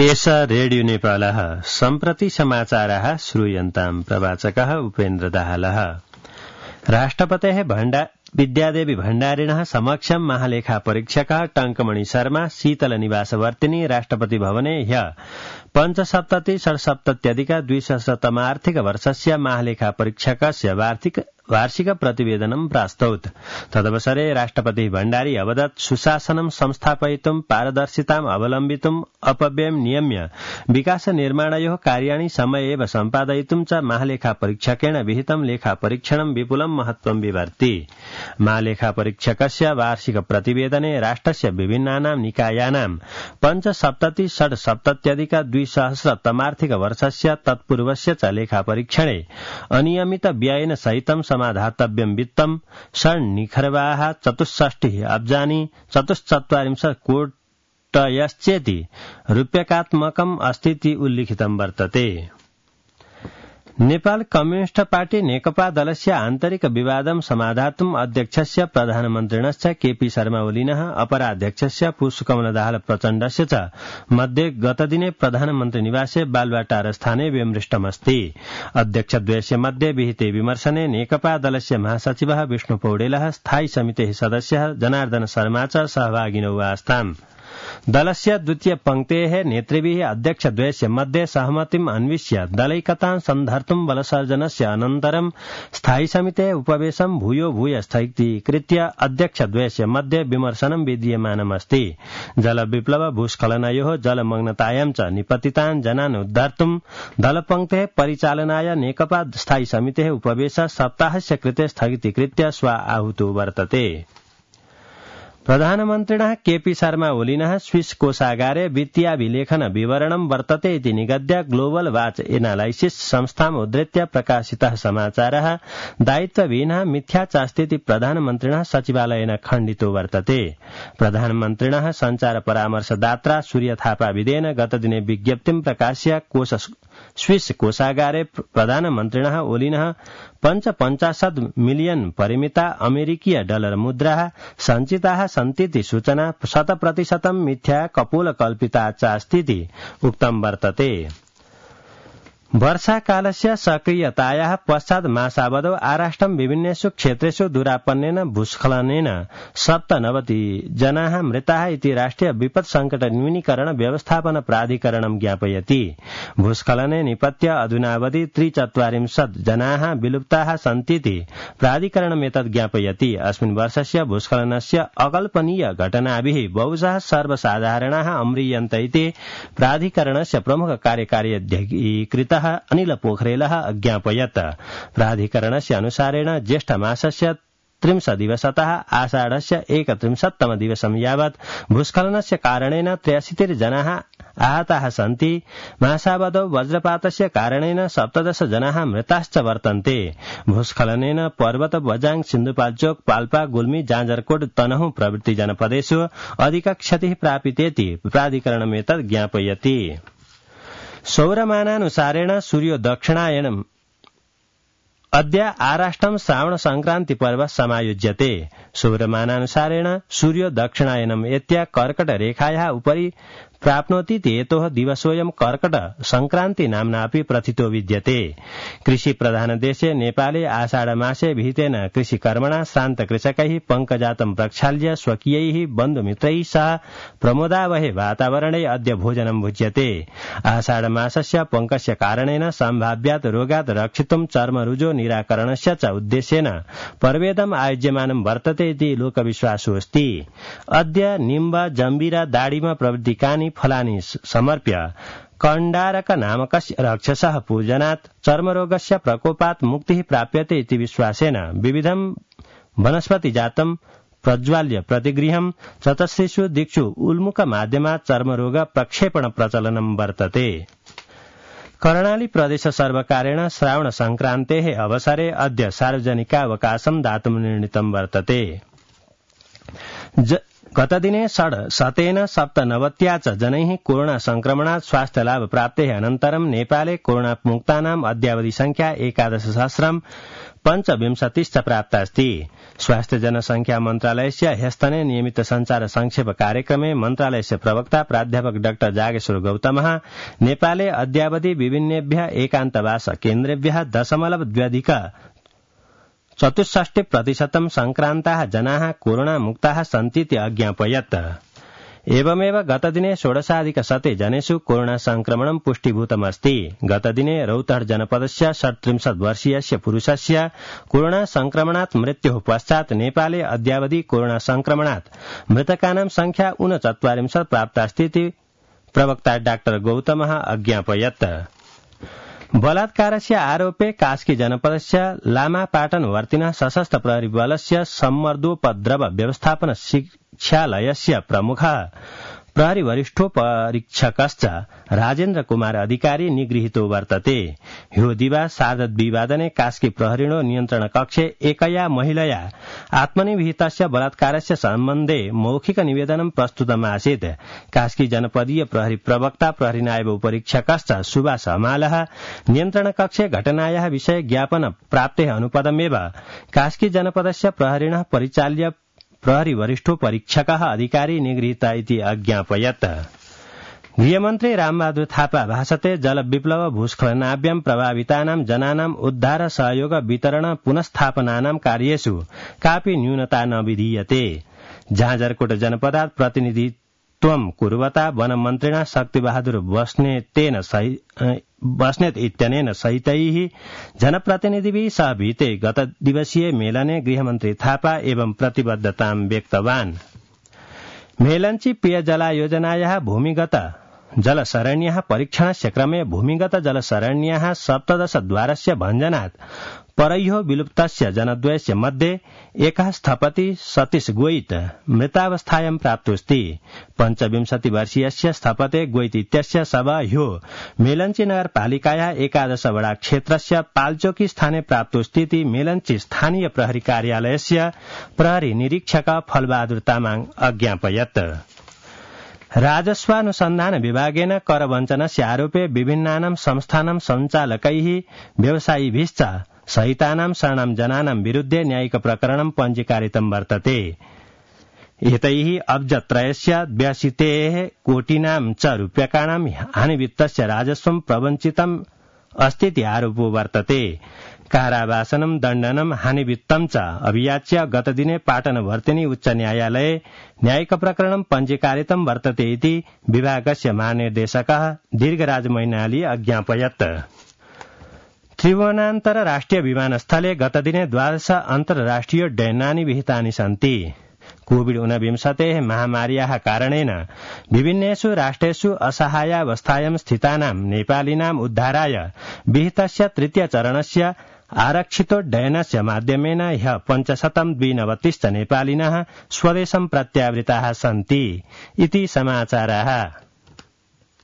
एष रेडियो नेपालः सम्प्रति समाचाराः श्रूयन्ताम् प्रवाचकः उपेन्द्र दाहालः। राष्ट्रपतेः विद्यादेवी भण्डारिणः समक्षं महालेखा परीक्षकः टंकमणि शर्मा शीतलनिवासवर्तिनी राष्ट्रपति भवने ह्यः पञ्चसप्ततिषट्सप्तत्यधिक-द्विसहस्रतमार्थिकवर्षस्य महालेखा परीक्षकस्य वार्षिक प्रतिवेदनं प्रास्तौत्। तदवसरे राष्ट्रपति भण्डारी अवदत् सुशासनं संस्थापयितुं पारदर्शिताम् अवलम्बितुम् अपव्ययं नियम्य विकास निर्माणयोः कार्याणि समये एव सम्पादयितुं च महालेखा परीक्षकेण विहितं लेखा परीक्षणं विपुलं महत्त्वं विवर्ति। महालेखा परीक्षकस्य वार्षिक प्रतिवेदने राष्ट्रस्य विभिन्नानां निकायानां पञ्चसप्ततिषट्सप्तत्यधिक-द्विसहस्रतमार्थिकवर्षस्य तत्पूर्वस्य च लेखा परीक्षणे अनियमित व्ययेन सहितं समाधातव्यं वित्तं षण्निखर्वाः 64 अब्जानि 44 कोटयश्चेति रूप्यकात्मकम् अस्तीति उल्लिखितं वर्तते। नेपाल कम्युनिस्ट पार्टी नेकपा दलस्य आन्तरिक विवादं समाधातुम् अध्यक्षस्य प्रधानमन्त्रिणश्च केपी शर्मा ओलिनः अपराध्यक्षस्य पुष्पकमल दाहाल प्रचण्डस्य च मध्ये गतदिने प्रधानमन्त्री निवासे बालुवाटार स्थाने विमृष्टमस्ति। अध्यक्षद्वयस्य मध्ये विहिते विमर्शने नेकपा दलस्य महासचिवः विष्णु पौडेलः स्थायी समितेः सदस्यः जनार्दन शर्मा च सहभागिनौ आस्ताम्। दलस्य द्वितीय पंक्तेः नेतृभिः अध्यक्षद्वयस्य मध्ये सहमतिम् अन्विष्य दलैकतां सन्धर्तुं बलसर्जनस्य अनन्तरं स्थायी समितेः उपवेशनं भूय स्थगितीकृत्य अध्यक्षद्वयस्य मध्ये विमर्शनं विद्यमानमस्ति। जलविप्लव भूस्खलनयोः जलमग्नतायां च निपतितान् जनान् उद्धार्तुं दलपंक्तेः परिचालनाय नेकपा स्थायी समितेः उपवेशः सप्ताहस्य कृते स्थगितीकृत्य स्व आहूतो वर्तते। प्रधानमन्त्रिणः केपी शर्मा ओलिनः स्विस कोषागारे वित्तीयाभिलेखन विवरणं वर्तते इति निगद्य ग्लोबल वाच एनालाइसिस संस्थाम् उद्धृत्य प्रकाशितः समाचारः दायित्वविहीनः मिथ्या चास्तीति प्रधानमन्त्रिणः सचिवालयेन खण्डितो वर्तते। प्रधानमन्त्रिणः सञ्चार परामर्शदात्रा सूर्य थापाविदेन गतदिने विज्ञप्तिं प्रकाश्य स्विस कोषागारे प्रधानमन्त्रिणः ओलिनः 55 मिलियन परिमिता अमेरिकीय डलर मुद्राः सञ्चिताः सन्तीति सूचना 100% मिथ्या कपोलकल्पिता चास्तीति उक्तं वर्तते। वर्षाकालस्य सक्रियतायाः पश्चात् मासावधौ आराष्ट्रं विभिन्नेषु क्षेत्रेषु दुरापन्नेन भूस्खलनेन 97 जनाः मृताः इति राष्ट्रिय विपत् संकट न्यूनीकरण व्यवस्थापन प्राधिकरणं ज्ञापयति। भूस्खलने निपत्य अधुनावधि 43 जनाः विलुप्ताः सन्तीति प्राधिकरणमेतत् ज्ञापयति। अस्मिन् वर्षस्य भूस्खलनस्य अकल्पनीय घटनाभिः बहुशः सर्वसाधारणाः अम्रियन्त इति प्राधिकरणस्य प्रमुख कार्यकारी अधिकृतः अनिल पोखरेलः अज्ञापयत्। प्राधिकरणस्य अनुसारेण ज्येष्ठमासस्य 30 दिवसतः आषाढस्य 31तम दिवसं यावत् भूस्खलनस्य कारणेन 83 जनाः आहताः सन्ति। मासावधौ वज्रपातस्य कारणेन 17 जनाः मृताश्च वर्तन्ते। भूस्खलनेन पर्वत बजाङ सिन्धुपाल्चोक पाल्पा गुल्मी जाजरकोट तनहुँ प्रभृति जनपदेषु अधिक क्षतिः प्रापितेति प्राधिकरणमेतत् ज्ञापयति। सौरमानानुसारेण सूर्यो दक्षिणायनम् अद्य आराष्ट्रं श्रावण संक्रांति पर्व समायोज्यते। सौरमानानुसारेण सूर्यो दक्षिणायनम् एत्य कर्कट रेखायाः उपरि प्राप्नोति हेतोः दिवसोऽयं कर्कट संक्रांति नाम्ना अपि प्रथितो विद्यते। कृषि प्रधान देशे नेपाले आषाढ मासे विहितेन कृषिकर्मणा श्रान्त कृषकैः पङ्कजातं प्रक्षाल्य स्वकीयैः बन्धुमित्रैः सह प्रमोदावहे वातावरणे अद्य भोजनं भुज्यते। आषाढ मासस्य पङ्कस्य कारणेन सम्भाव्यात् रोगात् रक्षितुं चर्मरुजो निराकरणस्य च उद्देश्येन पर्वेदम् आयोज्यमानं वर्तते इति लोकविश्वासोऽस्ति। अद्य निम्ब जम्बीर दाडिम प्रभृतिकानि फलानि समर्प्य कण्डारक नामकस्य राक्षसः पूजनात् चर्मरोगस्य प्रकोपात् मुक्तिः प्राप्यते इति विश्वासेन विविधं वनस्पतिजातं प्रज्वाल्य प्रतिगृहं चतस्रिषु दिक्षु उल्मुख माध्यमात् चर्मरोग प्रक्षेपण प्रचलनं वर्तते। कर्णाली प्रदेश सर्वकारेण श्रावण संक्रान्तेः अवसरे अद्य सार्वजनिकावकाशं दातुं निर्णीतं वर्तते। गतदिने षड्शतेन 97 च जनैः कोरोना संक्रमणात् स्वास्थ्यलाभ प्राप्तेः अनन्तरं नेपाले कोरोनामुक्तानाम् अद्यावधि संख्या 11,525 प्राप्ता अस्ति। स्वास्थ्य जनसंख्या मन्त्रालयस्य ह्यस्तने नियमित संचार संक्षेप कार्यक्रमे मन्त्रालयस्य प्रवक्ता प्राध्यापक डाक्टर जागेश्वर गौतमः नेपाले अद्यावधि विभिन्नेभ्यः एकान्तवास केन्द्रेभ्यः 0.64% संक्रान्ताः जनाः कोरोनामुक्ताः सन्तीति अज्ञापयत्। एवमेव गतदिने 16,100 जनेषु कोरोना संक्रमणं पुष्टीभूतमस्ति। गतदिने रौतहट जनपदस्य 37 वर्षीयस्य पुरुषस्य कोरोना संक्रमणात् मृत्युः पश्चात् नेपाले अद्यावधि कोरोना संक्रमणात् मृतकानां संख्या 39 प्राप्तास्तीति प्रवक्ता डाक्टर गौतमः अज्ञापयत्। बलात्कारस्य आरोपे कास्की जनपदस्य लामापाटन वर्तिनः सशस्त्र प्रहरी बलस्य सम्मर्दोपद्रव व्यवस्थापन शिक्षालयस्य प्रमुखः प्रहरी वरिष्ठोपरीक्षकश्च राजेन्द्र कुमार अधिकारी निगृहीतो वर्तते। ह्यो दिवा सार्धद्विवादने कास्की प्रहरीणो नियन्त्रण कक्षे एकया महिलया आत्मनिविहितस्य बलात्कारस्य सम्बन्धे मौखिक निवेदनं प्रस्तुतमासीत्। कास्की जनपदीय प्रहरी प्रवक्ता प्रहरी नायब उपरीक्षकश्च सुभाष हमालः नियन्त्रण कक्षे घटनायाः विषये ज्ञापन प्राप्तेः अनुपदमेव कास्की जनपदस्य प्रहरिणः परिचाल्य प्रहरी वरिष्ठोपरीक्षकः अधिकारी निगृहीत इति अज्ञापयत्। गृहमन्त्री रामबहादुर थापा भाषते जलविप्लव भूस्खलनाभ्यां प्रभावितानां जनानां उद्धार सहयोग वितरण पुनस्थापनानां कार्येषु कापि न्यूनता न विधीयते। झाँझरकोट जनपदात् प्रतिनिधित्वं कुर्वता वनमन्त्रिणा शक्तिबहादुर बस्नेत इत्यनेन सहितैः जनप्रतिनिधिभिः सह भीते गत दिवसीय मेलने गृहमन्त्री थापा एवं प्रतिबद्धतां व्यक्तवान्। मेलञ्ची पेयजलायोजनायाः भूमिगत जलसरण्याः परीक्षणस्य क्रमे भूमिगत जलसरण्याः 17 द्वारस्य भञ्जनात् परह्यो विलुप्तस्य जनद्वयस्य मध्ये एकः स्थपति सतीश गोइत मृतावस्थायां प्राप्तोऽस्ति। 25 वर्षीयस्य स्थपते गोइत इत्यस्य शव ह्यो मेलञ्ची नगरपालिकायाः 11 वडा क्षेत्रस्य पाल्चोकी स्थाने प्राप्तोऽस्तीति मेलञ्ची स्थानीय प्रहरी कार्यालयस्य प्रहरी निरीक्षक फलबहादुर तामाङ अज्ञापयत्। राजस्वानुसन्धान विभागेन करवञ्चनस्य आरोपे विभिन्नानां संस्थानां सञ्चालकैः व्यवसायिभिश्च सहितानां शरणां जनानां विरुद्धे न्यायिक प्रकरणं पञ्जीकारितं वर्तते। एतैः अब्जत्रयस्य 82 कोटिनां च रूप्यकाणां हानिवित्तस्य राजस्वं प्रवञ्चितम् अस्तीति आरोपो वर्तते। कारावासनं दण्डनं हानिवित्तं च अभियाच्य गतदिने पाटनवर्तिनी उच्च न्यायालये न्यायिक प्रकरणं पञ्जीकारितं वर्तते इति विभागस्य महानिर्देशकः दीर्घराज मैनाली अज्ञापयत्। त्रिभुवनान्तर राष्ट्रिय विमानस्थले गतदिने 12 अन्तर्राष्ट्रिय उड्डयनानि विहितानि सन्ति। कोविड-19 महामार्याः कारणेन विभिन्नेषु राष्ट्रेषु असहायावस्थायां स्थितानां नेपालिनाम् उद्धाराय विहितस्य तृतीय चरणस्य आरक्षितोड्डयनस्य माध्यमेन ह्यः 529 नेपालिनः स्वदेशं प्रत्यावृताः सन्ति इति समाचाराः।